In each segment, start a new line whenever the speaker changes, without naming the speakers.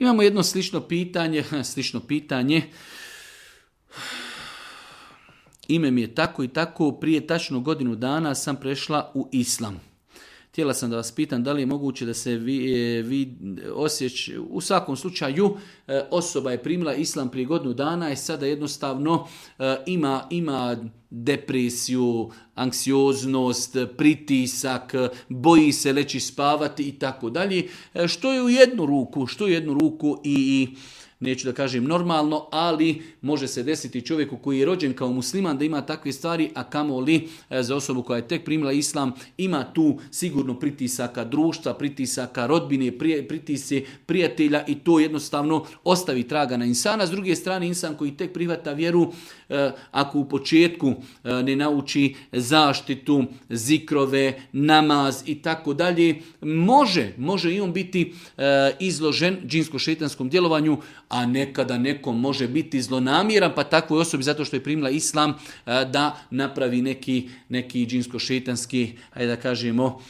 Imamo jedno slično pitanje. Ime mi je tako i tako, prije tačno godinu dana sam prešla u islam. Htjela sam da vas pitam da li je moguće da se vi osjeća, u svakom slučaju osoba je primila islam prije godinu dana i sada jednostavno ima depresiju, anksioznost, pritisak, boji se leći spavati i tako dalje, što je u jednu ruku i neću da kažem normalno, ali može se desiti čovjeku koji je rođen kao musliman da ima takve stvari, a kamoli za osobu koja je tek primila islam, ima tu sigurno pritisaka društva, pritisaka rodbine, pritisci prijatelja i to jednostavno ostavi traga na insana. S druge strane, insan koji tek prihvata vjeru, ako u početku ne nauči zaštitu, zikrove, namaz i tako dalje, može i on biti izložen džinsko-šejtanskom djelovanju, a nekada nekom može biti zlonamjeran, pa takvoj osobi zato što je primila islam da napravi neki džinsko-šejtanski, ajde da kažemo,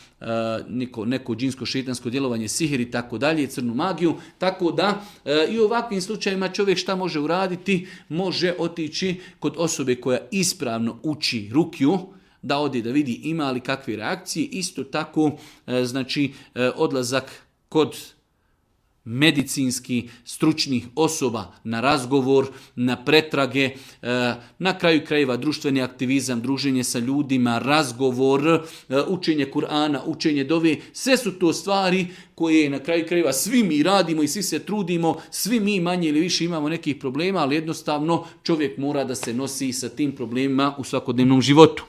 neko džinsko-šejtansko djelovanje, sihir i tako dalje, crnu magiju. Tako da i u ovakvim slučajima čovjek šta može uraditi? Može otići kod osobe koja ispravno uči rukju, da ode da vidi ima li kakve reakcije. Isto tako, odlazak kod medicinski stručnih osoba na razgovor, na pretrage, na kraju krajeva društveni aktivizam, druženje sa ljudima, razgovor, učenje Kur'ana, učenje dove, sve su to stvari koje na kraju krajeva svi mi radimo i svi se trudimo, svi mi manje ili više imamo nekih problema, ali jednostavno čovjek mora da se nosi sa tim problemima u svakodnevnom životu.